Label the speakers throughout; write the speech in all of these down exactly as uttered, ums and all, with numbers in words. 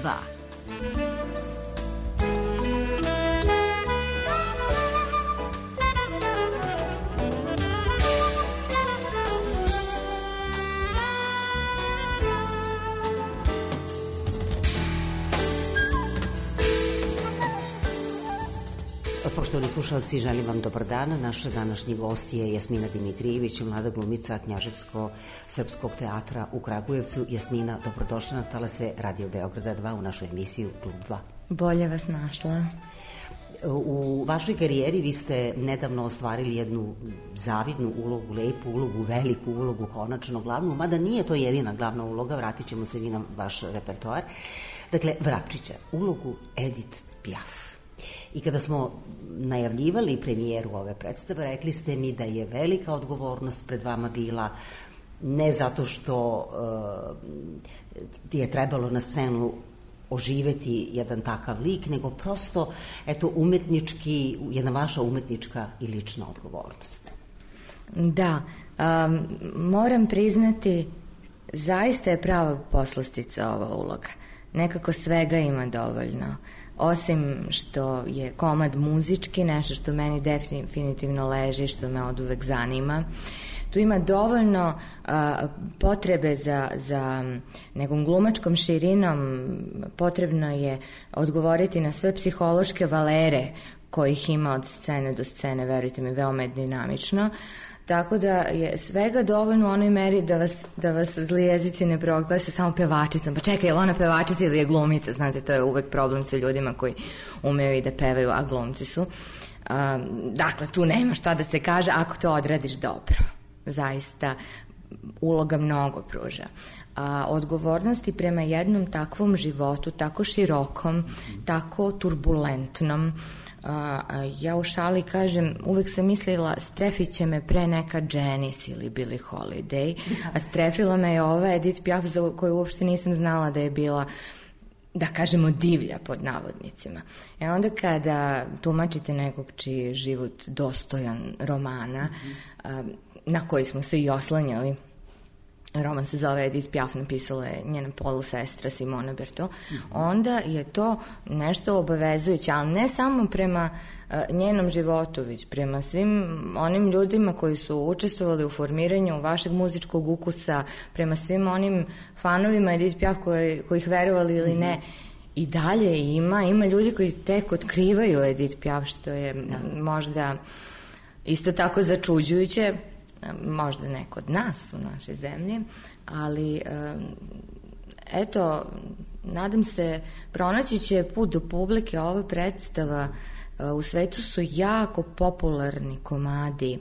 Speaker 1: dva.
Speaker 2: Poštovani slušalci, želim vam dobar dan. Naša današnji gost je Jasmina Dimitrijević, mlada glumica Knjaževsko-srpskog teatra u Kragujevcu. Jasmina, dobrodošla na talase Radio Beograda dva u našu emisiju Klub dva.
Speaker 3: Bolje vas našla.
Speaker 2: U vašoj karijeri vi ste nedavno ostvarili jednu zavidnu ulogu, lepu ulogu, veliku ulogu, konačno glavnu, mada nije to jedina glavna uloga, vratit ćemo se vi na vaš repertoar. Dakle, Vrapčića, ulogu Edith Piaf. I kada smo najavljivali premijeru ove predstave, rekli ste mi da je velika odgovornost pred vama bila ne zato što uh, ti je trebalo na scenu oživeti jedan takav lik, nego prosto, eto, umetnički, jedna vaša umetnička i lična odgovornost.
Speaker 3: Da, um, moram priznati, zaista je prava poslastica ova uloga. Nekako svega ima dovoljno. Osim što je komad muzički, nešto što meni definitivno leži, što me oduvek zanima. Tu ima dovoljno a, potrebe za, za nekom glumačkom širinom, potrebno je odgovoriti na sve psihološke valere kojih ima od scene do scene, verujte mi, veoma je dinamično. Tako da je svega dovoljno u onoj meri da vas, da vas zli jezici ne proglase samo pevačicom. Pa čekaj, je li ona pevačica ili je glumica? Znate, to je uvek problem sa ljudima koji umeju i da pevaju, a glumci su. Um, dakle, tu nema šta da se kaže ako to odradiš dobro. Zaista, uloga mnogo pruža. A odgovornosti prema jednom takvom životu, tako širokom, tako turbulentnom, A, a ja u šali kažem, uvek sam mislila strefit će me pre neka Janis ili Billie Holiday, a strefila me je ova Edith Piaf za koju uopšte nisam znala da je bila, da kažemo, divlja pod navodnicima. E onda kada tumačite nekog čiji je život dostojan romana, a, na koji smo se i oslanjali, roman se zove Edith Piaf, napisala je njena polusestra Simona Berto, onda je to nešto obavezujuće, ali ne samo prema uh, njenom životu, već prema svim onim ljudima koji su učestvovali u formiranju vašeg muzičkog ukusa, prema svim onim fanovima Edith Piaf koji, kojih verovali ili ne. I dalje ima, ima ljudi koji tek otkrivaju Edith Piaf, što je da. možda isto tako začuđujuće, možda ne kod nas u našoj zemlji, ali eto, nadam se, pronaći će put do publike. Ova predstava, u svetu su jako popularni komadi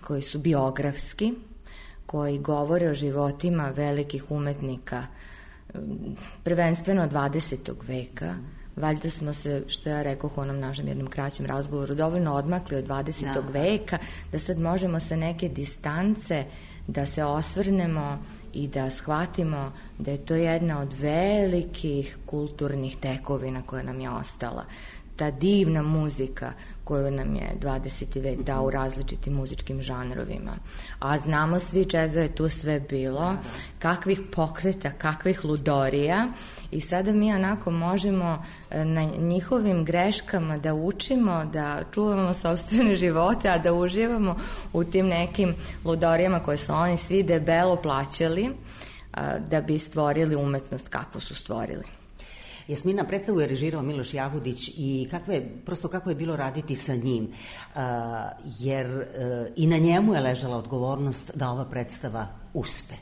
Speaker 3: koji su biografski, koji govore o životima velikih umetnika, prvenstveno dvadesetog veka. Valjda smo se, što ja rekoh u onom našem jednom kraćem razgovoru, dovoljno odmakli od dvadesetog Da. veka, da sad možemo sa neke distance da se osvrnemo i da shvatimo da je to jedna od velikih kulturnih tekovina koja nam je ostala. Ta divna muzika koju nam je dvadeseti vek dao u različitim muzičkim žanrovima. A znamo svi čega je tu sve bilo, kakvih pokreta, kakvih ludorija, i sada mi onako možemo na njihovim greškama da učimo, da čuvamo sopstvene živote, a da uživamo u tim nekim ludorijama koje su oni svi debelo plaćali da bi stvorili umetnost kakvu su stvorili.
Speaker 2: Jasmina, predstavu je režirao Miloš Jagodić i kako je, prosto kako je bilo raditi sa njim, uh, jer uh, i na njemu je ležala odgovornost da ova predstava uspe.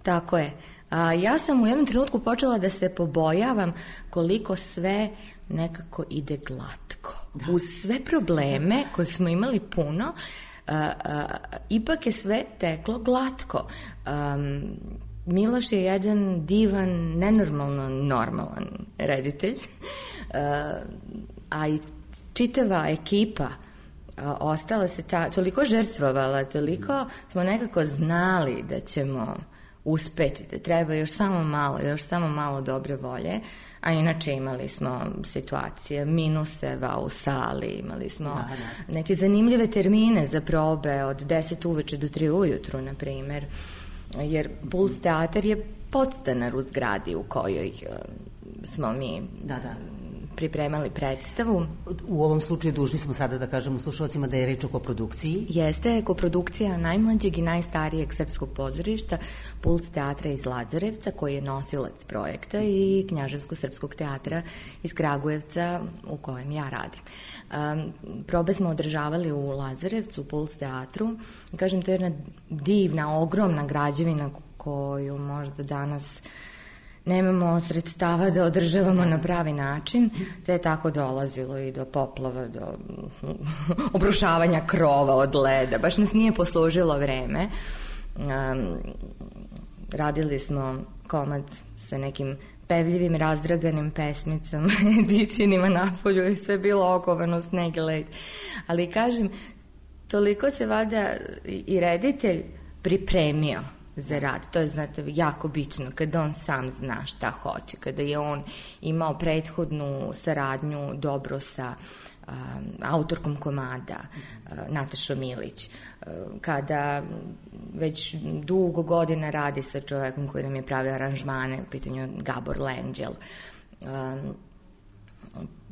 Speaker 3: Tako je. A, ja sam u jednom trenutku počela da se pobojavam koliko sve nekako ide glatko. Da. Uz sve probleme kojih smo imali puno, a, a, ipak je sve teklo glatko. Um, Miloš je jedan divan, nenormalno normalan reditelj, a i čitava ekipa ostala se ta, toliko žrtvovala, toliko smo nekako znali da ćemo uspeti, da treba još samo malo, još samo malo dobre volje, a inače imali smo situacije minuseva u sali, imali smo da, da. neke zanimljive termine za probe od deset uveče do tri ujutru, na primer. Jer Puls teatar je podstanar u zgradi u kojoj smo mi da, da. pripremali predstavu.
Speaker 2: U ovom slučaju dužni smo sada da kažemo slušalcima da je reč o koprodukciji.
Speaker 3: Jeste, koprodukcija najmlađeg i najstarijeg srpskog pozorišta Puls teatra iz Lazarevca, koji je nosilac projekta, i Knjaževsko-srpskog teatra iz Kragujevca u kojem ja radim. Um, probe smo održavali u Lazarevcu, u Puls teatru. Kažem, to je jedna divna, ogromna građevina koju možda danas nemamo sredstava da održavamo na pravi način, te je tako dolazilo i do poplava, do obrušavanja krova od leda. Baš nas nije poslužilo vreme. Um, radili smo komad sa nekim pevljivim, razdraganim pesmicom, edicijnima napolju je sve bilo okovano, sneg i led. Ali kažem, toliko se vada i reditelj pripremio za rad. To je, znate, jako bitno kada on sam zna šta hoće, kada je on imao prethodnu saradnju dobro sa um, autorkom komada uh, Natašom Ilić, uh, kada već dugo godina radi sa čovekom koji nam je pravio aranžmane, u pitanju Gabor Lenđel, um,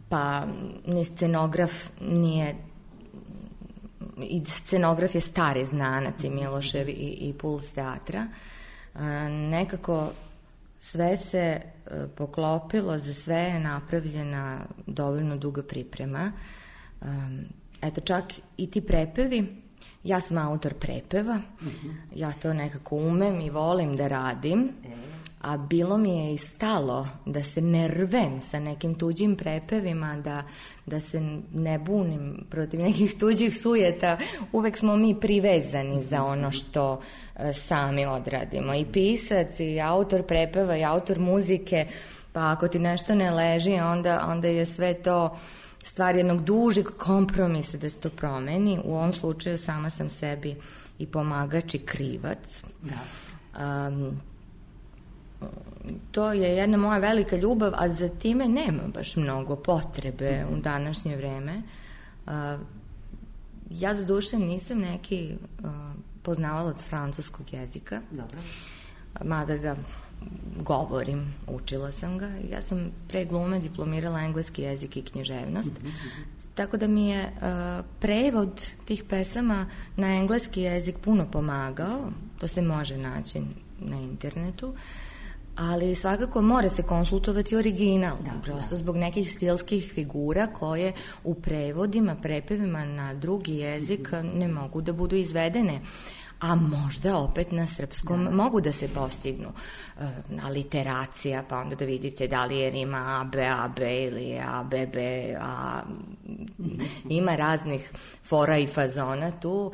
Speaker 3: pa ni scenograf nije i scenograf je stari znanac i Milošev i, i Puls teatra. A, nekako sve se a, poklopilo, za sve je napravljena dovoljno duga priprema. A, eto, čak i ti prepevi, ja sam autor prepeva, mm-hmm. ja to nekako umem i volim da radim, a bilo mi je i stalo da se ne rvem sa nekim tuđim prepevima, da, da se ne bunim protiv nekih tuđih sujeta. Uvek smo mi privezani za ono što e, sami odradimo. I pisac, i autor prepeva, i autor muzike, pa ako ti nešto ne leži, onda, onda je sve to stvar jednog dužeg kompromisa da se to promeni. U ovom slučaju sama sam sebi i pomagač i krivac. Da. Um, To je jedna moja velika ljubav, a za time nema baš mnogo potrebe u današnje vreme. Ja do duše nisam neki poznavalac francuskog jezika. Dobro. Mada ga govorim, učila sam ga. Ja sam pre glume diplomirala engleski jezik i književnost. Tako da mi je uh, prevod tih pesama na engleski jezik puno pomagao. To se može naći na internetu. Ali svakako mora se konsultovati original, da, prosto da. Zbog nekih stilskih figura koje u prevodima, prepevima na drugi jezik ne mogu da budu izvedene, a možda opet na srpskom da. Mogu da se postignu. Aliteracija, pa onda da vidite da li je rima A, B, A, B ili A, B, B, A. Ima raznih fora i fazona tu,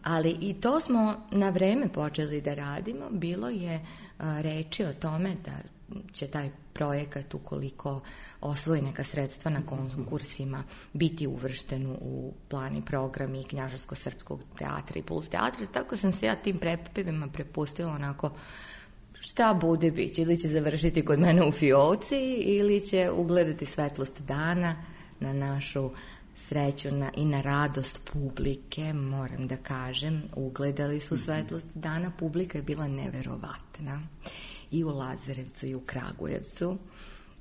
Speaker 3: ali i to smo na vreme počeli da radimo. Bilo je reči o tome da će taj projekat, ukoliko osvoji neka sredstva na konkursima, biti uvršten u plan i program i Knjaževsko-srpskog teatra i Puls teatra. Tako sam se ja tim prepevima prepustila onako, šta bude biće, ili će završiti kod mene u fioci ili će ugledati svetlost dana, na našu sreću na, i na radost publike. Moram da kažem, ugledali su svetlost dana, publika je bila neverovatna i u Lazarevcu i u Kragujevcu.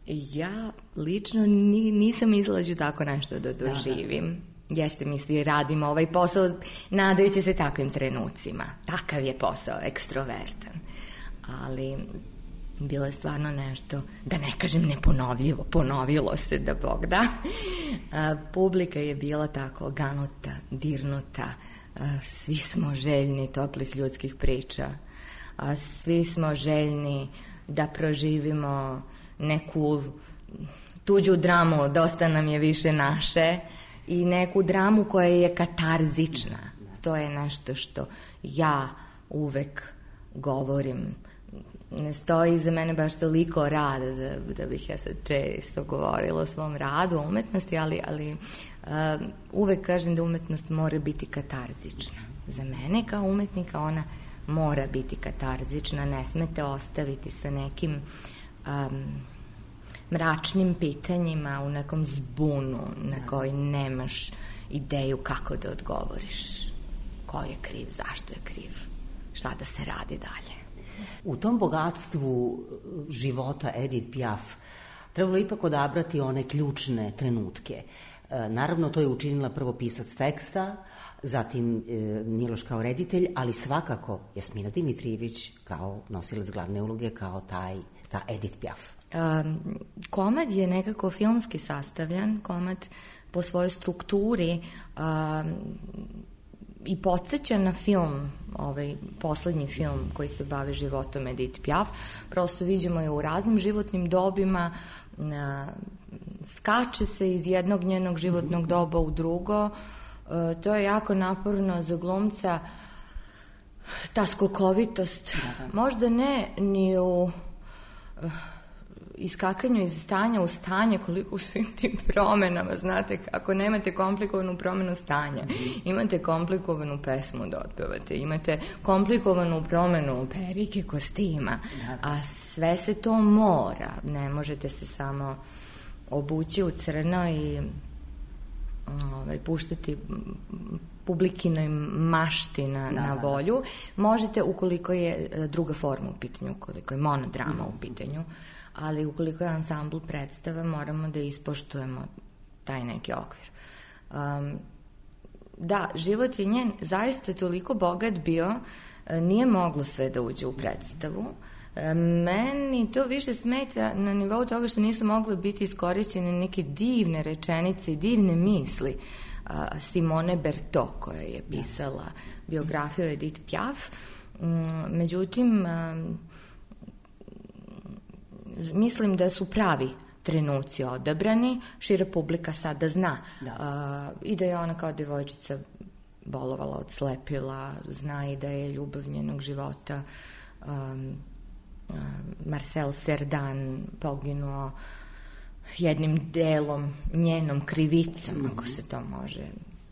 Speaker 3: Ja lično ni, nisam izlađu tako nešto da doživim. Jeste, mi svi radimo ovaj posao nadajući se takvim trenucima. Takav je posao, ekstrovertan. Ali bilo je stvarno nešto, da ne kažem neponovljivo, ponovilo se da Bog da. A, publika je bila tako ganuta, dirnuta, a, svi smo željni toplih ljudskih priča, a svi smo željni da proživimo neku tuđu dramu, dosta nam je više naše, i neku dramu koja je katarzična. To je nešto što ja uvek govorim. Ne stoji iza mene baš toliko rada da, da bih ja sad često govorila o svom radu, o umetnosti, ali, ali uh, uvek kažem da umetnost mora biti katarzična. Za mene kao umetnika ona mora biti katarzična, ne smete ostaviti sa nekim um, mračnim pitanjima u nekom zbunu na koji nemaš ideju kako da odgovoriš. Ko je kriv, zašto je kriv, šta da se radi dalje.
Speaker 2: U tom bogatstvu života Edith Piaf trebalo ipak odabrati one ključne trenutke. Naravno, to je učinila prvo pisac teksta, zatim Miloš kao reditelj, ali svakako Jasmina Dimitrijević kao nosilac glavne uloge, kao taj, ta Edith Piaf.
Speaker 3: Um, komad je nekako filmski sastavljan, komad po svojoj strukturi um, i podsjeća na film, ovaj poslednji film koji se bavi životom Edith Piaf. Prosto viđamo je u raznim životnim dobima, na, skače se iz jednog njenog životnog doba u drugo. E, to je jako naporno za glumca, ta skokovitost. Možda ne ni u uh, iskakanju iz stanja u stanje, koliko u svim tim promenama, znate, ako nemate komplikovanu promenu stanja, imate komplikovanu pesmu da otpevate, imate komplikovanu promenu perike, kostima, a sve se to mora, ne možete se samo obući u crno i ovaj, puštati publikinoj mašti na, da, na volju. Možete ukoliko je druga forma u pitanju, ukoliko je monodrama u pitanju, ali ukoliko je ansambl predstava, moramo da ispoštujemo taj neki okvir. Um, da, život je njen zaista toliko bogat bio, nije moglo sve da uđe u predstavu. Meni to više smeta na nivou toga što nisu mogle biti iskorišćene neke divne rečenice i divne misli Simone Berthaud, koja je pisala biografiju Edith Piaf. Međutim, mislim da su pravi trenuci odabrani, šira publika sada zna da. I da je ona kao devojčica bolovala od slepila, zna i da je ljubav njenog života um, Marcel Cerdan poginuo jednim delom njenom krivicom, mm-hmm. ako se to može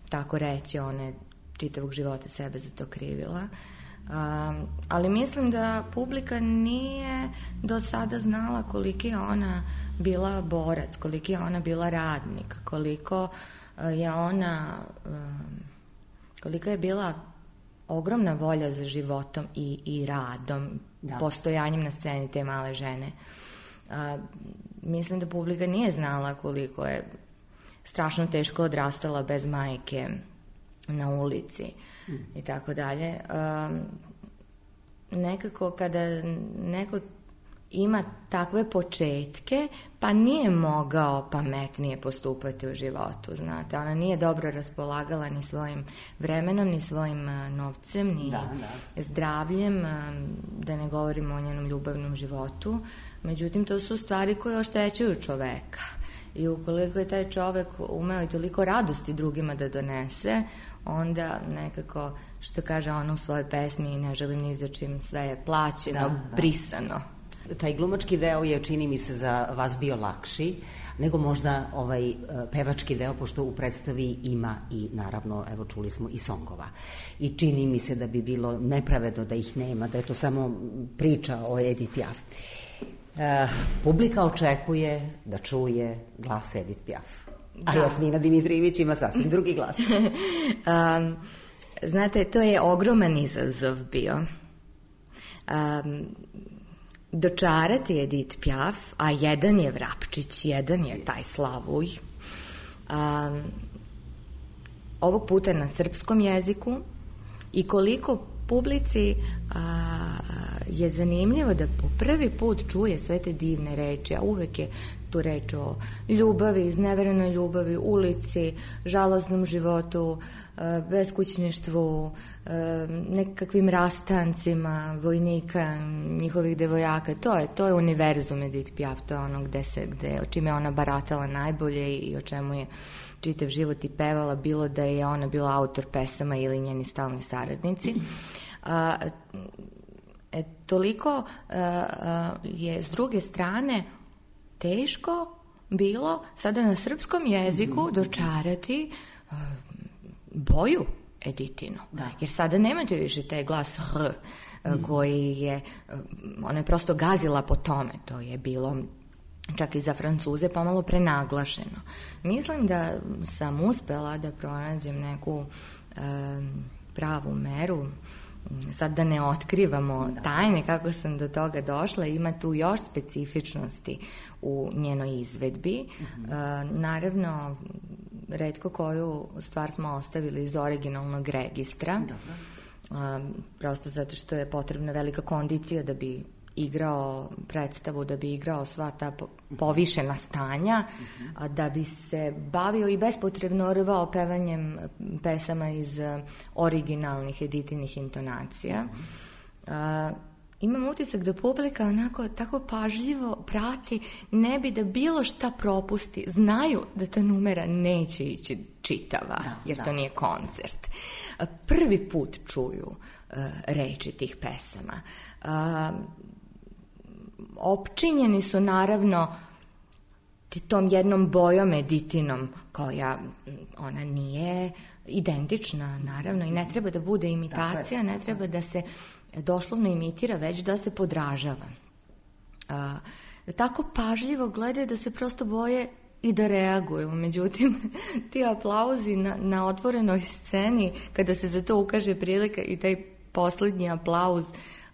Speaker 3: tako reći, ona je čitavog života sebe za to krivila. Um, ali mislim da publika nije do sada znala koliki je ona bila borac, koliki je ona bila radnik, koliko uh, je ona um, koliko je bila ogromna volja za životom i, i radom, da. Postojanjem na sceni te male žene. A, mislim da publika nije znala koliko je strašno teško odrastala bez majke na ulici mm. i tako dalje. Nekako kada neko ima takve početke, pa nije mogao pametnije postupati u životu, znate. Ona nije dobro raspolagala ni svojim vremenom, ni svojim novcem, ni da, da. zdravljem, da ne govorimo o njenom ljubavnom životu. Međutim, to su stvari koje oštećuju čoveka. I ukoliko je taj čovek umeo i toliko radosti drugima da donese, onda nekako, što kaže ona u svojoj pesmi, ne želim ni za čim, sve je plaćeno, da, da. brisano.
Speaker 2: Taj glumački deo je, čini mi se, za vas bio lakši nego možda ovaj pevački deo, pošto u predstavi ima i, naravno, evo čuli smo i songova. I čini mi se da bi bilo nepravedno da ih nema, da je to samo priča o Edith Piaf. Uh, publika očekuje da čuje glas Edith Piaf. Da. A Jasmina Dimitrijević ima sasvim drugi glas.
Speaker 3: um, znate, to je ogroman izazov bio. Um, dočarati Edith Piaf, a jedan je Vrapčić, jedan je taj Slavuj. Um, ovog puta na srpskom jeziku, i koliko publici a, je zanimljivo da po prvi put čuje sve te divne reči, a uvek je tu reč o ljubavi, izneverenoj ljubavi, ulici, žalosnom životu, a, beskućništvu, a, nekakvim rastancima vojnika, njihovih devojaka. To je, to je univerzum Edith Piaf, to je ono gde se, gde, o čime je ona baratala najbolje i o čemu je čitav život i pevala, bilo da je ona bila autor pesama ili njeni stalni saradnici. A, e, toliko a, a, je s druge strane teško bilo sada na srpskom jeziku dočarati a, boju Editinu. Da. Jer sada nemate više taj glas H koji je, ona je prosto gazila po tome, to je bilo čak i za Francuze pomalo prenaglašeno. Mislim da sam uspela da pronađem neku e, pravu meru sad da ne otkrivamo tajne kako sam do toga došla, ima tu još specifičnosti u njenoj izvedbi. Mm-hmm. Uh, naravno, retko koju stvar smo ostavili iz originalnog registra. Dobro. Uh, prosto zato što je potrebna velika kondicija da bi igrao predstavu, da bi igrao sva ta povišena stanja, a da bi se bavio i bespotrebno rvao pevanjem pesama iz originalnih editivnih intonacija. A, imam utisak da publika onako tako pažljivo prati, ne bi da bilo šta propusti. Znaju da ta numera neće ići čitava, da, jer da. To nije koncert. A, prvi put čuju a, reči tih pesama. A, opčinjeni su naravno tom jednom bojom editinom koja ona nije identična naravno i ne treba da bude imitacija, ne treba da se doslovno imitira, već da se podražava. A, tako pažljivo gledaju da se prosto boje i da reaguju. Međutim, ti aplauzi na, na otvorenoj sceni, kada se za to ukaže prilika i taj poslednji aplauz,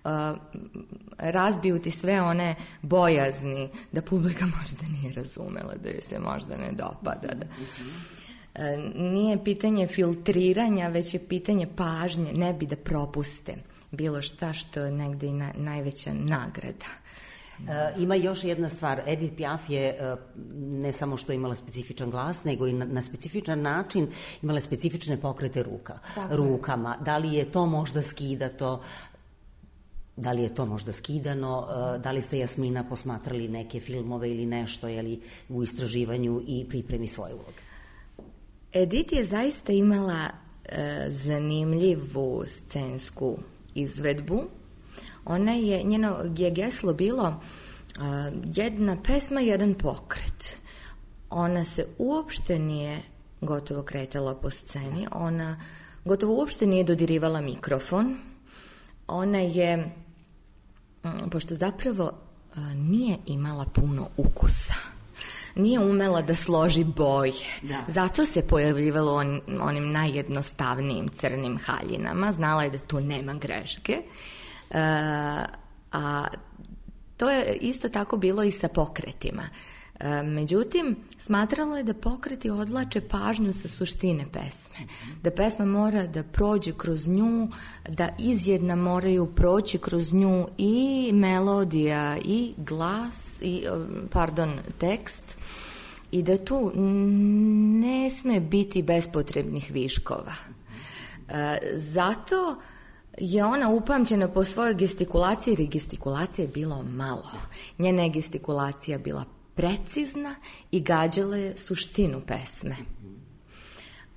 Speaker 3: Uh, razbiju ti sve one bojazni da publika možda nije razumela, da joj se možda ne dopada. Da. Uh, nije pitanje filtriranja, već je pitanje pažnje, ne bi da propuste bilo šta što je negde i na, najveća nagrada.
Speaker 2: Uh, ima još jedna stvar, Edith Piaf je uh, ne samo što imala specifičan glas, nego i na, na specifičan način imala specifične pokrete ruka, rukama. Da li je to možda skidato? Da li je to možda skidano, da li ste, Jasmina, posmatrali neke filmove ili nešto, jeli, u istraživanju i pripremi svoje uloge?
Speaker 3: Edith je zaista imala e, zanimljivu scensku izvedbu. Ona je, njeno je geslo bilo e, jedna pesma, jedan pokret. Ona se uopšte nije gotovo kretala po sceni, ona gotovo uopšte nije dodirivala mikrofon. Ona je, pošto zapravo nije imala puno ukusa, nije umela da složi boje, da. Zato se pojavljivalo on, onim najjednostavnijim crnim haljinama, znala je da tu nema greške, e, a to je isto tako bilo i sa pokretima. Međutim, smatralo je da pokreti odvlače pažnju sa suštine pesme. Da pesma mora da prođe kroz nju, da izjedna moraju proći kroz nju i melodija, i glas, i, pardon, tekst, i da tu ne sme biti bespotrebnih viškova. Zato je ona upamćena po svojoj gestikulaciji, jer gestikulacije je bilo malo. Njena je gestikulacija bila precizna i gađala je suštinu pesme.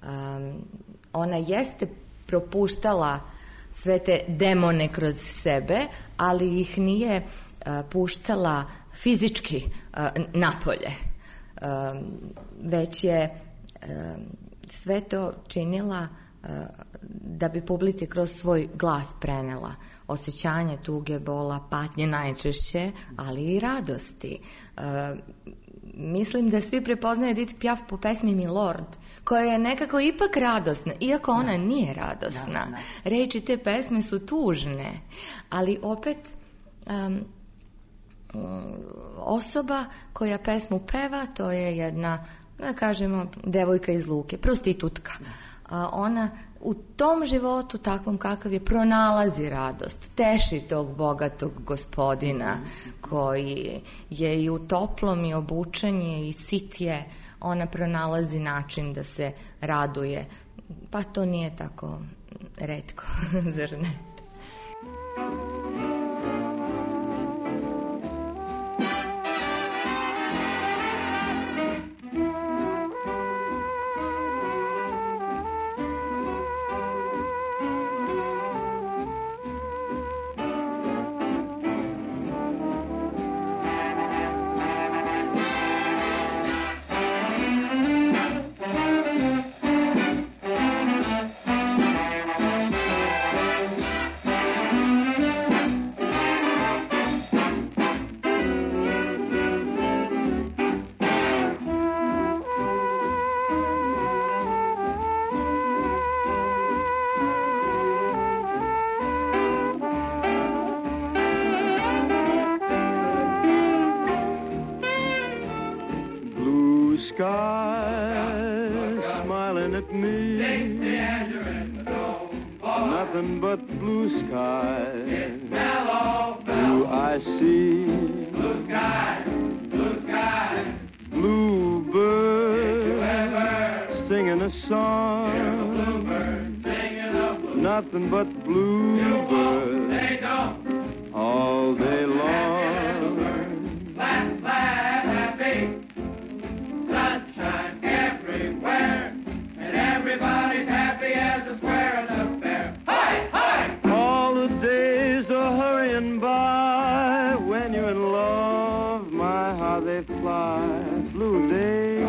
Speaker 3: Um, ona jeste propuštala sve te demone kroz sebe, ali ih nije uh, puštala fizički uh, napolje. Um, već je um, sve to činila uh, da bi publici kroz svoj glas prenela osjećanje tuge, bola, patnje najčešće, ali i radosti. Uh, mislim da svi prepoznaju Edith Piaf po pesmi Milord, koja je nekako ipak radosna, iako ona da. nije radosna. Da, da. Reči te pesme su tužne, ali opet um, osoba koja pesmu peva, to je jedna, da kažemo, devojka iz Luke, prostitutka. A ona u tom životu, takvom kakav je, pronalazi radost, teši tog bogatog gospodina koji je i u toplom i obučen je i sit je, ona pronalazi način da se raduje. Pa to nije tako retko, zar ne?
Speaker 1: looking at me. Dixie, as you're in the dome, boy. Nothing but blue skies. It's mellow, mellow. Do I see? Blue skies, blue skies. Bluebird. Did you ever singing a song? Hear a bluebird singing a blue. Nothing but bluebirds. They don't. All day long. Laugh, laugh, happy. Sunshine everywhere. And everybody's happy as a square at the fair. Hi, hi! All the days are hurrying by. When you're in love, my, how they fly. Blue days,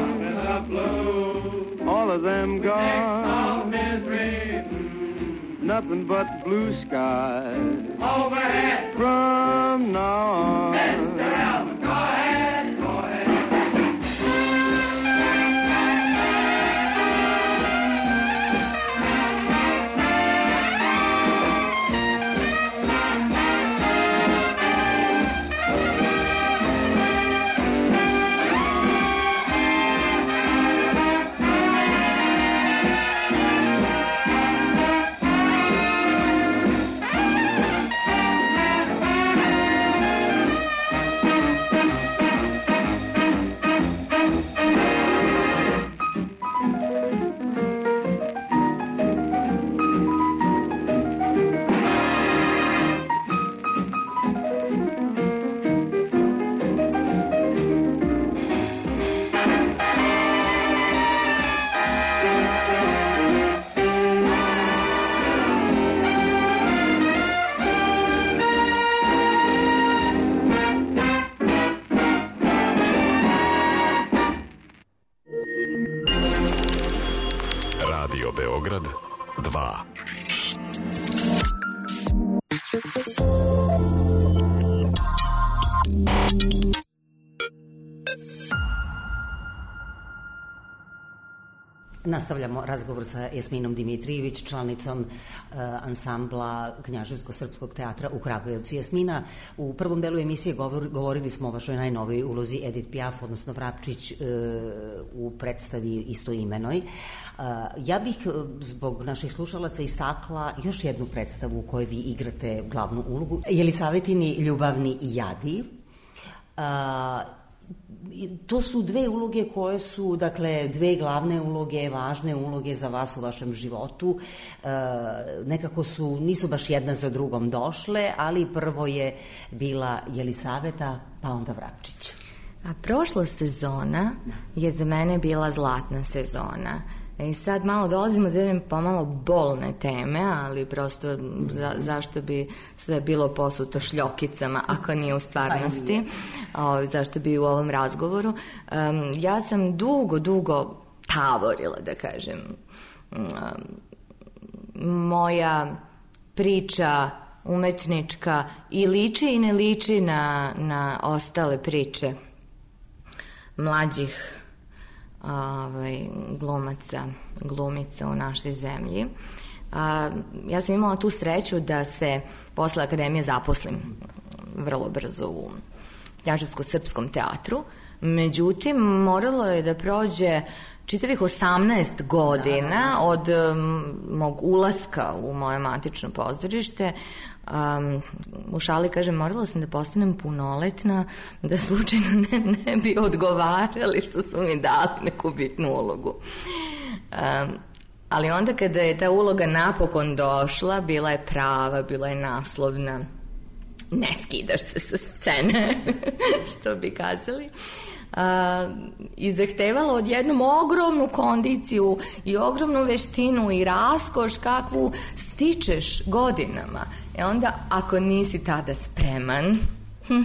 Speaker 1: blue. All of them gone. All misery. Mm. Nothing but blue skies. Overhead. From now on. Mister Elvis, go ahead, go ahead.
Speaker 4: Beograd dva.
Speaker 2: Nastavljamo razgovor sa Jasminom Dimitrijević, članicom uh, ansambla Knjaževsko-srpskog teatra u Kragujevcu. Jasmina, u prvom delu emisije govor, govorili smo o vašoj najnovoj ulozi Edith Piaf, odnosno Vrapčić, uh, u predstavi istoimenoj. Uh, ja bih zbog naših slušalaca istakla još jednu predstavu u kojoj vi igrate glavnu ulogu, Jelisavetini ljubavni jadi. Uh, To su dve uloge koje su, dakle, dve glavne uloge, važne uloge za vas u vašem životu. E, nekako su, nisu baš jedna za drugom došle, ali prvo je bila Jelisaveta, pa onda Vrapčić.
Speaker 3: A prošla sezona je za mene bila zlatna sezona. I sad malo dolazimo do jedne pomalo bolne teme, ali prosto za, zašto bi sve bilo posuto šljokicama ako nije u stvarnosti, o, zašto bi u ovom razgovoru. Um, ja sam dugo, dugo tavorila, da kažem. Um, moja priča umetnička i liči i ne liči na, na ostale priče mlađih Ovaj, glumaca, glumica u našoj zemlji. A, ja sam imala tu sreću da se posle akademije zaposlim vrlo brzo u Knjaževsko-srpskom teatru. Međutim, moralo je da prođe čitavih osamnaest godina od um, mog ulaska u moje matično pozorište. Um, u šali kažem, morala sam da postanem punoletna, da slučajno ne, ne bi odgovarali što su mi dali neku bitnu ulogu. Um, ali onda kada je ta uloga napokon došla, bila je prava, bila je naslovna, ne skidaš se sa scene, što bi kazali. Uh, i zahtevalo odjednom ogromnu kondiciju i ogromnu veštinu i raskoš kakvu stičeš godinama. E onda, ako nisi tada spreman, hm,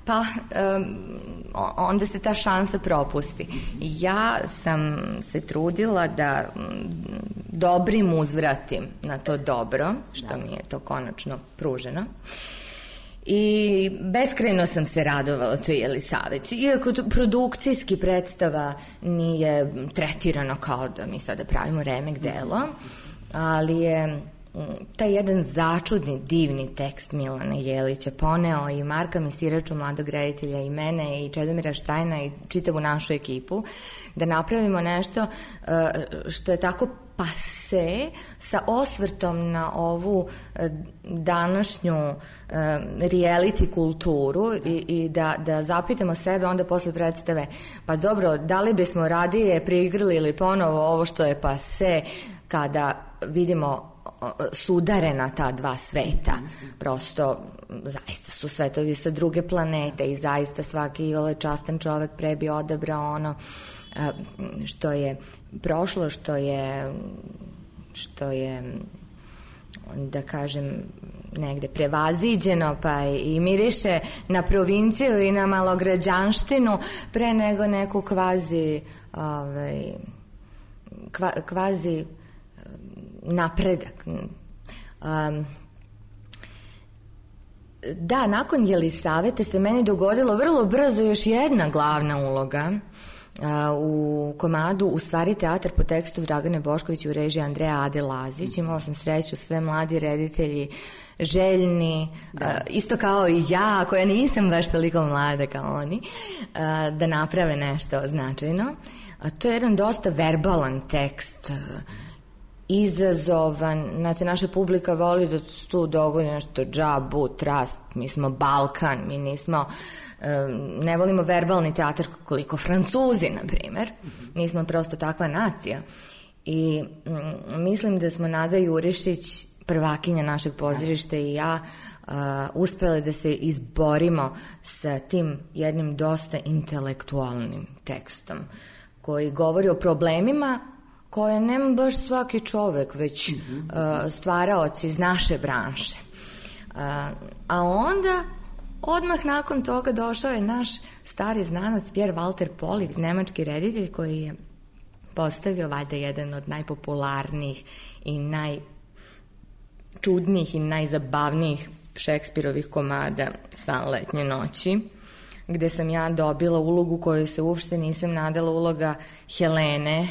Speaker 3: pa um, onda se ta šansa propusti. Ja sam se trudila da dobrim uzvratim na to dobro, što mi je to konačno pruženo. I beskrajno sam se radovala toj Jelisaveti. Iako to produkcijski predstava nije tretirano kao da mi sada pravimo remek delo, ali je taj jedan začudni, divni tekst Milana Jelića poneo i Marka Misiraču, mladog reditelja, i mene, i Čedomira Štajna, i čitavu našu ekipu, da napravimo nešto što je tako pase, sa osvrtom na ovu današnju reality kulturu i, i da, da zapitamo sebe onda posle predstave, pa dobro, da li bismo radije priigrali ponovo ovo što je pase, kada vidimo sudarena ta dva sveta. Prosto zaista su svetovi sa druge planete i zaista svaki ole častan čovek pre bi odabrao ono što je prošlo, što je što je da kažem negde prevaziđeno, pa i miriše na provinciju i na malograđanštinu pre nego neku kvazi ovaj, kva, kvazi napredak. Um, da, nakon Jelisavete se meni dogodilo vrlo brzo još jedna glavna uloga uh, u komadu U stvari teatar po tekstu Dragane Bošković u režiji Andreja Ade Lazić. Imala sam sreću, sve mladi reditelji, željni, da. Uh, isto kao i ja, koja nisam baš toliko mlada kao oni, uh, da naprave nešto značajno. A to je jedan dosta verbalan tekst, uh, izazovan, znači naša publika voli da se tu dogodi nešto džabu, trast, mi smo Balkan, mi nismo, ne volimo verbalni teatar koliko Francuzi, na primer, nismo prosto takva nacija. I m, mislim da smo Nada Jurišić, prvakinja našeg pozorišta, i ja uh, uspele da se izborimo sa tim jednim dosta intelektualnim tekstom koji govori o problemima koje nema baš svaki čovek, već uh, stvaraoci iz naše branše. Uh, a onda, odmah nakon toga došao je naš stari znanac Pierre Walter Polit, nemački reditelj, koji je postavio valjda jedan od najpopularnijih i najčudnijih i najzabavnijih Šekspirovih komada San letnje noći, gde sam ja dobila ulogu koju se uopšte nisam nadala, uloga Helene,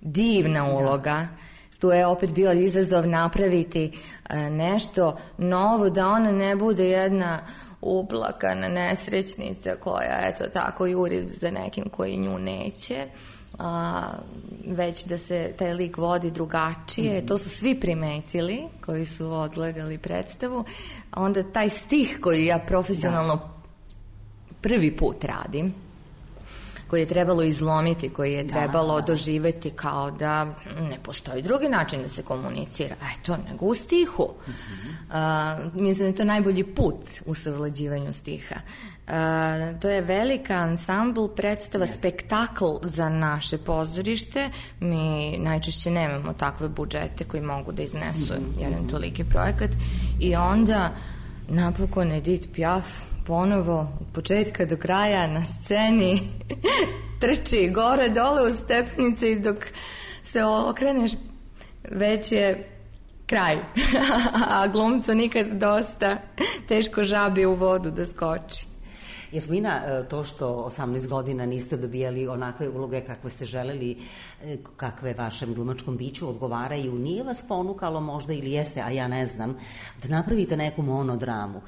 Speaker 3: divna uloga. Tu je opet bio izazov napraviti nešto novo, da ona ne bude jedna uplakana nesrećnica koja eto tako juri za nekim koji nju neće, a, već da se taj lik vodi drugačije. Mm-hmm. To su svi primetili koji su odgledali predstavu. Onda taj stih koji ja profesionalno da. prvi put radim, koji je trebalo izlomiti, koji je trebalo da, da. doživeti kao da ne postoji drugi način da se komunicira, eto, nego u stihu. Mm-hmm. Uh, mislim da je to najbolji put u savlađivanju stiha. Uh, to je velika ansambl predstava, yes. spektakl za naše pozorište. Mi najčešće nemamo takve budžete koji mogu da iznesu mm-hmm. jedan toliki projekat. I onda napokon Edith Piaf ponovo od početka do kraja na sceni trči gore dole u stepenice i dok se okreneš već je kraj. A glumcu nikad dosta, teško žabi u vodu da skoči.
Speaker 2: Jasmina, to što osamnaest godina niste dobijali onakve uloge kakve ste želeli, kakve vašem glumačkom biću odgovaraju, nije vas ponukalo možda, ili jeste, a ja ne znam, da napravite neku monodramu?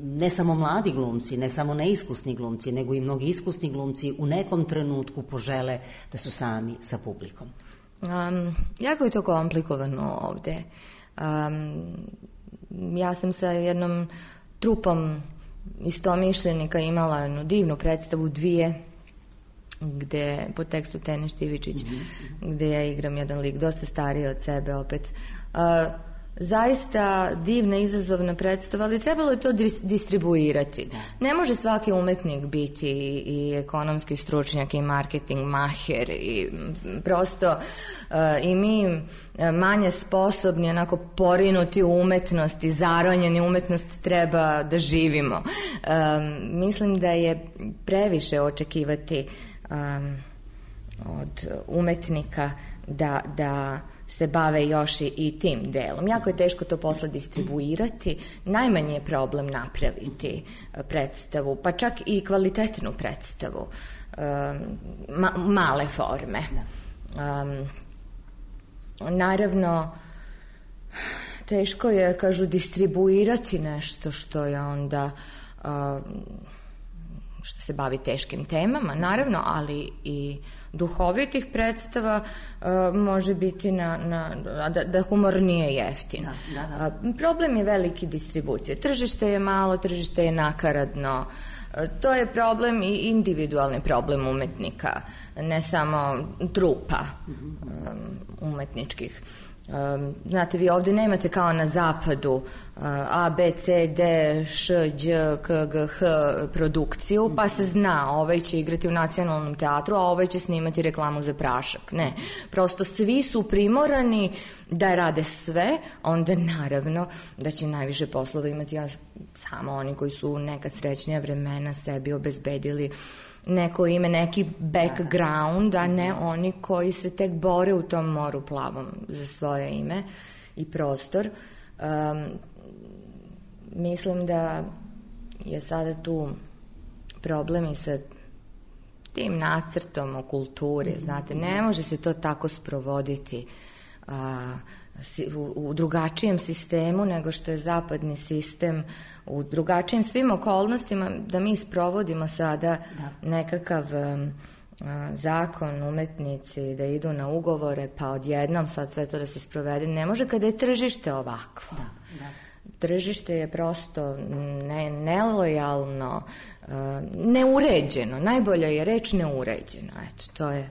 Speaker 2: Ne samo mladi glumci, ne samo neiskusni glumci, nego i mnogi iskusni glumci u nekom trenutku požele da su sami sa publikom.
Speaker 3: Um, jako je to komplikovano ovde. Um, ja sam sa jednom trupom istomišljenika imala jednu divnu predstavu Dvije, gde po tekstu Tene Štivičić, mm-hmm. gde ja igram jedan lik dosta stariji od sebe opet. Uh, zaista divna, izazovna predstava, ali trebalo je to dis- distribuirati. Ne može svaki umetnik biti i, i ekonomski stručnjak i marketing maher i prosto uh, i mi manje sposobni, onako porinuti u umetnost i zaronjeni umetnost treba da živimo. Um, mislim da je previše očekivati um, od umetnika da, da se bave još i, i tim delom. Jako je teško to posle distribuirati. Najmanje je problem napraviti predstavu, pa čak i kvalitetnu predstavu. Um, ma, male forme. Um, naravno, teško je, kažu, distribuirati nešto što je onda što se bavi teškim temama, naravno, ali i duhovitih predstava uh, može biti na, na, da, da humor nije jeftin. Da, da, da. Uh, problem je veliki distribucije. Tržište je malo, tržište je nakaradno. Uh, to je problem i individualni problem umetnika, ne samo trupa um, umetničkih. Um, znate, vi ovde nemate kao na zapadu uh, A, B, C, D, Š, Đ, K, G, H produkciju, pa se zna, ovaj će igrati u Nacionalnom teatru, a ovaj će snimati reklamu za prašak. Ne, prosto svi su primorani da rade sve, onda naravno da će najviše poslova imati ja, samo oni koji su neka srećnija vremena sebi obezbedili neko ime, neki background, a ne oni koji se tek bore u tom moru plavom za svoje ime i prostor. Um, mislim da je sada tu problem i sa tim nacrtom o kulturi, znate, ne može se to tako sprovoditi a, u, u drugačijem sistemu nego što je zapadni sistem, u drugačijim svim okolnostima, da mi sprovodimo sada da. nekakav um, a, zakon, umetnici da idu na ugovore, pa odjednom sad sve to da se sprovede. Ne može kada je tržište ovakvo. Da, da. Tržište je prosto ne, nelojalno, uh, neuređeno. Najbolja je reč neuređeno. Eto, to je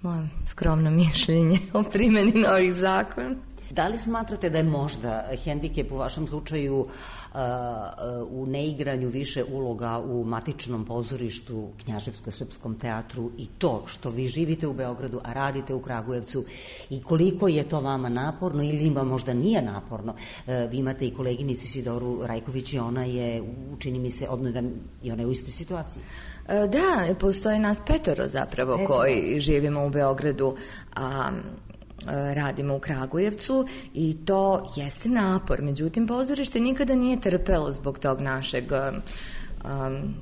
Speaker 3: moje skromno mišljenje o primjeni novih zakona.
Speaker 2: Da li smatrate da je možda hendikep u vašem slučaju uh, uh, u neigranju više uloga u matičnom pozorištu, Knjaževsko-srpskom teatru, i to što vi živite u Beogradu, a radite u Kragujevcu, i koliko je to vama naporno ili ima možda nije naporno? Uh, vi imate i koleginicu Sidoru Rajković i ona je, učini mi se, odmah i ona je u istoj situaciji.
Speaker 3: Da, postoji nas petoro zapravo Petoro. koji živimo u Beogradu, a radimo u Kragujevcu, i to jeste napor. Međutim, pozorište nikada nije trpelo zbog tog našeg um,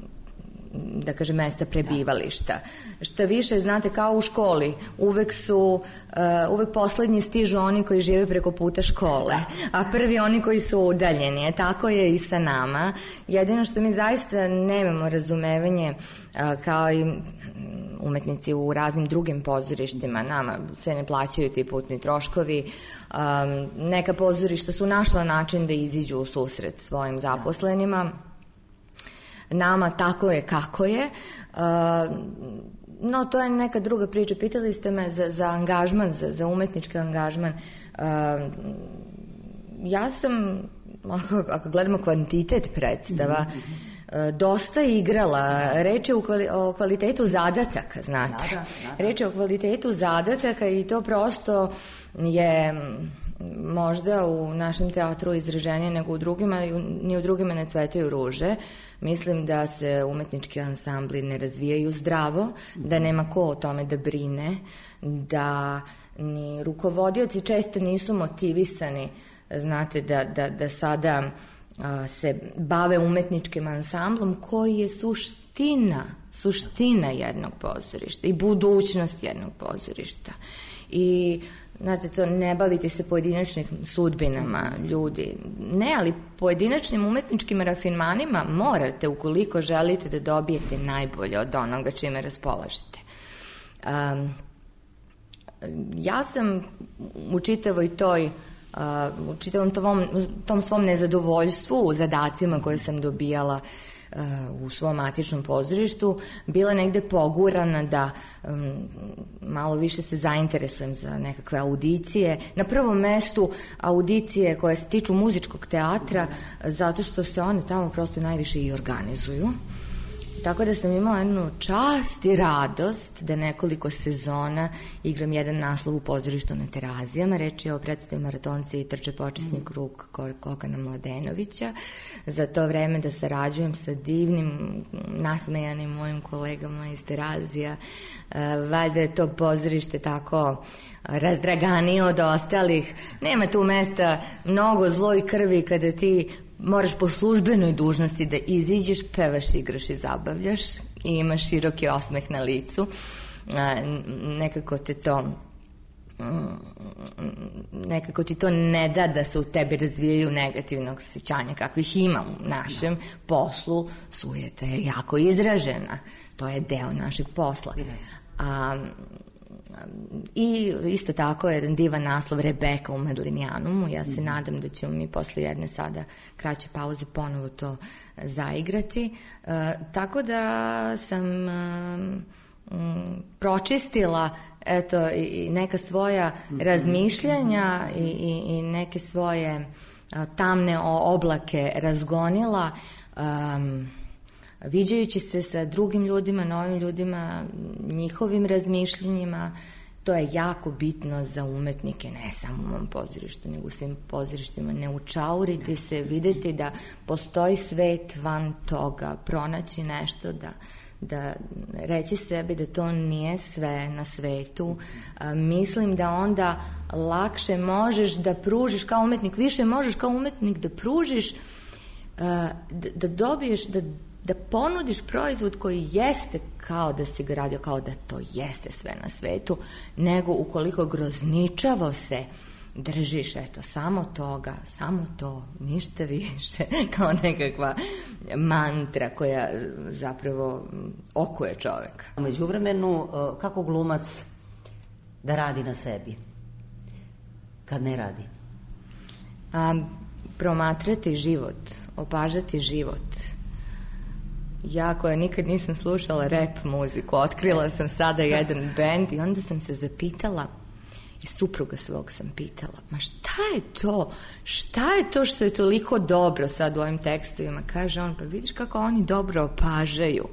Speaker 3: da kažem mesta prebivališta. Da. Šta više, znate, kao u školi, uvek su uh, uvek poslednji stižu oni koji žive preko puta škole, a prvi oni koji su udaljeni. E, tako je i sa nama. Jedino što mi zaista nemamo razumevanje, uh, kao i umetnici u raznim drugim pozorištima, nama se ne plaćaju ti putni troškovi. Um, neka pozorišta su našla način da iziđu u susret svojim zaposlenima. Nama tako je kako je. Uh, no, to je neka druga priča. Pitali ste me za, za angažman, za, za umetnički angažman. Uh, ja sam, ako, ako gledamo kvantitet predstava, mm-hmm. dosta igrala. Reč je o kvalitetu zadataka, znate. Da, da, da. Reč je o kvalitetu zadataka i to prosto je možda u našem teatru izraženije nego u drugima, ni u drugima ne cvetaju ruže. Mislim da se umetnički ansambli ne razvijaju zdravo, da nema ko o tome da brine, da ni rukovodioci često nisu motivisani, znate, da, da, da sada se bave umetničkim ansamblom koji je suština, suština jednog pozorišta i budućnost jednog pozorišta. I znate, to ne baviti se pojedinačnim sudbinama ljudi. Ne, ali pojedinačnim umetničkim rafinmanima morate, ukoliko želite da dobijete najbolje od onoga čime raspolažete. Um, ja sam u čitavoj toj Uh, u čitavom tom, tom svom nezadovoljstvu u zadacima koje sam dobijala uh, u svom matičnom pozorištu bila negde pogurana da um, malo više se zainteresujem za nekakve audicije. Na prvom mestu audicije koje se tiču muzičkog teatra, zato što se one tamo prosto najviše i organizuju. Tako da sam imala jednu čast i radost da nekoliko sezona igram jedan naslov u pozorištu na Terazijama. Reč je o predstavi Maratonci i trče počasni krug Kokana Mladenovića. Za to vreme da sarađujem sa divnim, nasmejanim mojim kolegama iz Terazija. Valjda je to pozorište tako razdraganije od ostalih. Nema tu mesta mnogo zloj krvi kada ti moraš po službenoj dužnosti da iziđeš, pevaš, igraš i zabavljaš i imaš široki osmeh na licu. Nekako te to nekako ti to ne da da se u tebi razvijaju negativnog osjećanja kakvih ima u našem no. poslu. Sujeta je jako izražena, to je deo našeg posla. A, i isto tako je jedan divan naslov Rebeka u Medlinijanumu. Ja se mm-hmm. nadam da ćemo mi posle jedne sada kraće pauze ponovo to zaigrati. E, tako da sam e, m, pročistila eto i neka svoja mm-hmm. razmišljanja i, i, i neke svoje a, tamne oblake razgonila, um, viđajući se sa drugim ljudima, novim ljudima, njihovim razmišljenjima. To je jako bitno za umetnike, ne samo u mom pozorištu, nego u svim pozorištima. Ne učauriti se, videti da postoji svet van toga, pronaći nešto, da, da reći sebi da to nije sve na svetu. A, mislim da onda lakše možeš da pružiš kao umetnik, više možeš kao umetnik da pružiš, a, da, da dobiješ, da da ponudiš proizvod koji jeste kao da si ga radio, kao da to jeste sve na svetu, nego ukoliko grozničavo se držiš, eto, samo toga, samo to, ništa više, kao nekakva mantra koja zapravo okuje čoveka.
Speaker 2: U međuvremenu, kako glumac da radi na sebi, kad ne radi?
Speaker 3: A, promatrati život, opažati život. Ja koja nikad nisam slušala rap muziku, otkrila sam sada jedan bend i onda sam se zapitala, i supruga svog sam pitala, ma šta je to? Šta je to što je toliko dobro sad u ovim tekstovima? Kaže on, pa vidiš kako oni dobro opažaju.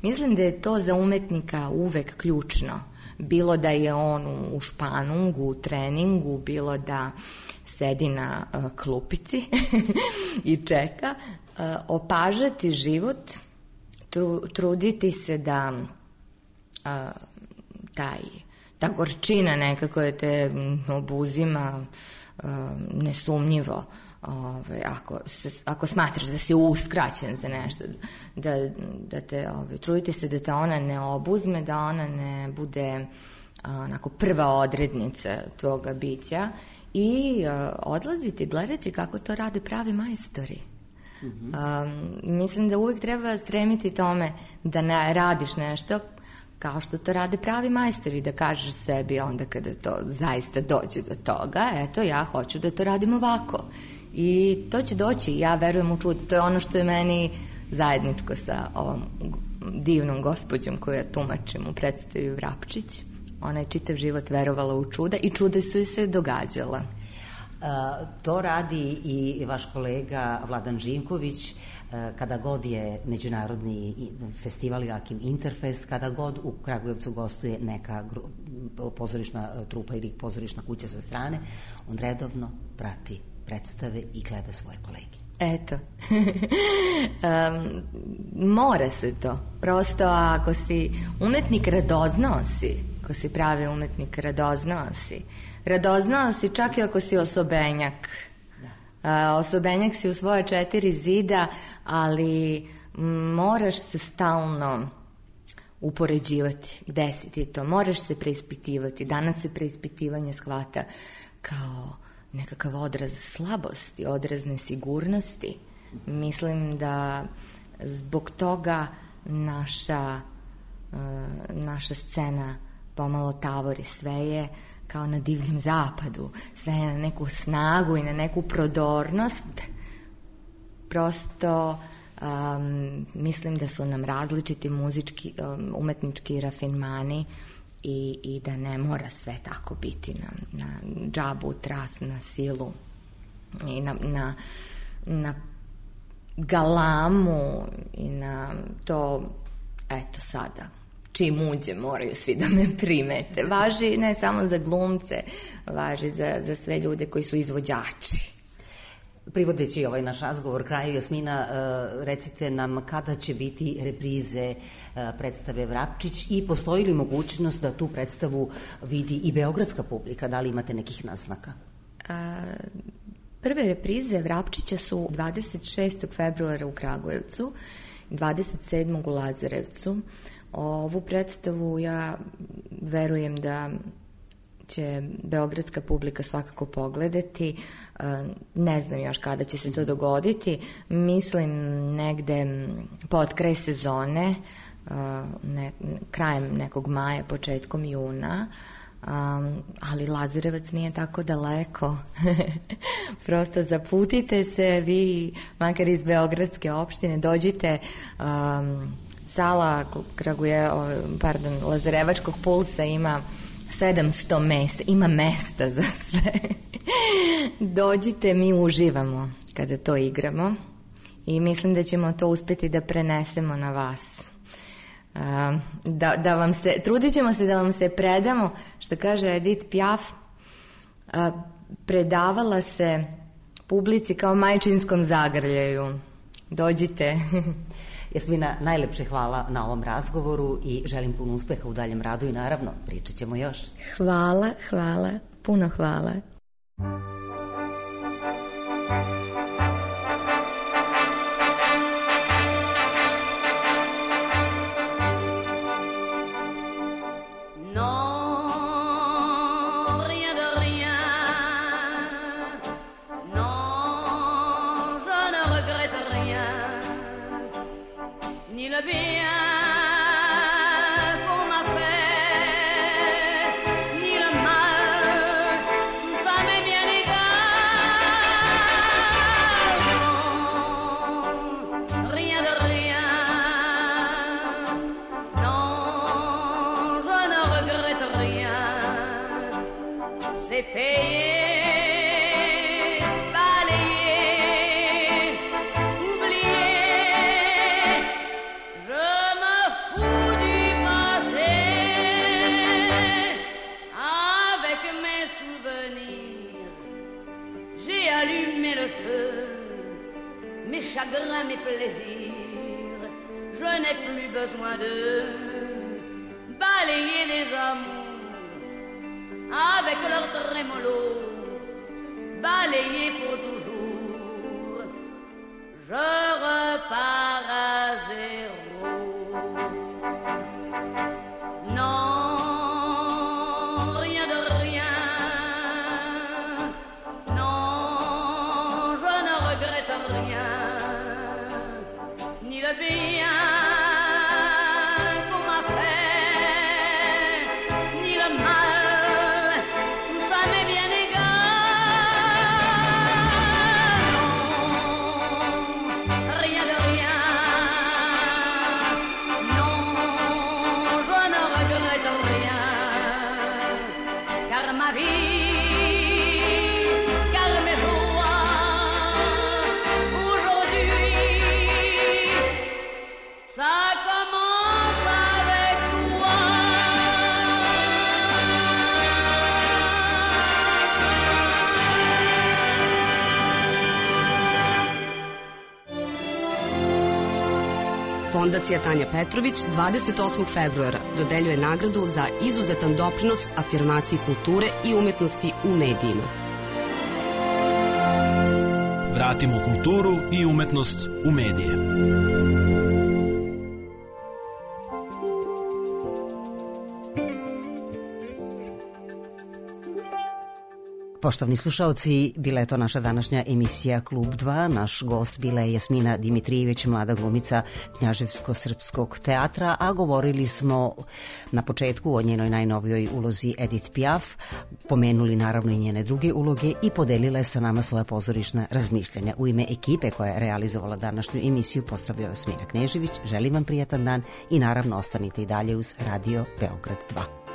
Speaker 3: Mislim da je to za umetnika uvek ključno. Bilo da je on u španungu, u treningu, bilo da sedi na uh, klupici i čeka. Uh, opažati život, Tru, truditi se da a, taj, ta gorčina nekako je te obuzima a, nesumnjivo. Ove, ako, se, ako smatraš da si uskraćen za nešto, da, da te, ove, truditi se da te ona ne obuzme, da ona ne bude a, onako prva odrednica tvoga bića i a, odlaziti, gledati kako to rade pravi majstori. Um, mislim da uvijek treba stremiti tome da ne radiš nešto kao što to rade pravi majstori, da kažeš sebi onda kada to zaista dođe do toga, eto ja hoću da to radim ovako i to će doći, ja verujem u čudo. To je ono što je meni zajedničko sa ovom divnom gospođom koju ja tumačim u predstavi Vrapčić. Ona je čitav život verovala u čuda i čuda su joj se događala.
Speaker 2: Uh, to radi i vaš kolega Vladan Živković uh, kada god je međunarodni festival Joakim Interfest, kada god u Kragujevcu gostuje neka gru, pozorišna trupa ili pozorišna kuća sa strane, on redovno prati predstave i gleda svoje kolege.
Speaker 3: Eto, um, mora se to. Prosto ako si umetnik, radoznao si. Ako si pravi umetnik, radoznao si. Radoznao si čak i ako si osobenjak. Da. Uh, osobenjak si u svoje četiri zida, ali moraš se stalno upoređivati. Gde si ti to? Moraš se preispitivati. Danas se preispitivanje shvata kao nekakav odraz slabosti, odraz nesigurnosti. Mislim da zbog toga naša, uh, naša scena pomalo tavori. Sve je kao na divljem zapadu, sve je na neku snagu i na neku prodornost. Prosto um, mislim da su nam različiti muzički, um, umetnički rafinmani i, i da ne mora sve tako biti na, na džabu, tras, na silu i na, na, na galamu i na to, eto sada, čim uđe moraju svi da me primete. Važi ne samo za glumce, važi za, za sve ljude koji su izvođači.
Speaker 2: Privodeći ovaj naš razgovor kraju, Jasmina, recite nam kada će biti reprize predstave Vrapčić i postoji li mogućnost da tu predstavu vidi i beogradska publika? Da li imate nekih naznaka?
Speaker 3: A, prve reprize Vrapčića su dvadeset šestog februara u Kragujevcu, dvadeset sedmog u Lazarevcu. Ovu predstavu ja verujem da će beogradska publika svakako pogledati. Ne znam još kada će se to dogoditi. Mislim negde pod kraj sezone, ne, krajem nekog maja, početkom juna. Um, ali Lazarevac nije tako daleko. Prosto zaputite se vi, makar iz beogradske opštine, dođite. um, sala Kraguje, pardon, Lazarevačkog pulsa ima sedamsto mesta, ima mesta za sve. Dođite, mi uživamo kada to igramo i mislim da ćemo to uspeti da prenesemo na vas. Da, da vam se, trudit ćemo se da vam se predamo, što kaže Edith Piaf, predavala se publici kao majčinskom zagrljaju. Dođite.
Speaker 2: Jasmina, najlepše hvala na ovom razgovoru i želim puno uspeha u daljem radu i naravno pričat ćemo još.
Speaker 3: Hvala, hvala, puno hvala.
Speaker 5: Mes plaisirs, je n'ai plus besoin de balayer les amours avec leur trémolo, balayer pour toujours. Je repars à zéro. Non, rien de rien. Non, je ne regrette rien. Ni le bien qu'on m'a fait, ni le mal, tout ça m'est bien égal. Non, rien de rien. Non, je ne regrette rien, car ma vie,
Speaker 6: Fondacija Tanja Petrović dvadeset osmog februara dodeljuje nagradu za izuzetan doprinos afirmaciji kulture i umetnosti u medijima.
Speaker 7: Vratimo kulturu i umetnost u medije.
Speaker 2: Poštovni slušaoci, bila je to naša današnja emisija Klub dva. Naš gost bila je Jasmina Dimitrijević, mlada glumica Knjaževsko-srpskog teatra, a govorili smo na početku o njenoj najnovijoj ulozi Edith Piaf, pomenuli naravno i njene druge uloge i podelila je sa nama svoja pozorišna razmišljanja. U ime ekipe koja je realizovala današnju emisiju pozdravlja vas Mira Knežević, želim vam prijatan dan i naravno ostanite i dalje uz Radio Beograd dva.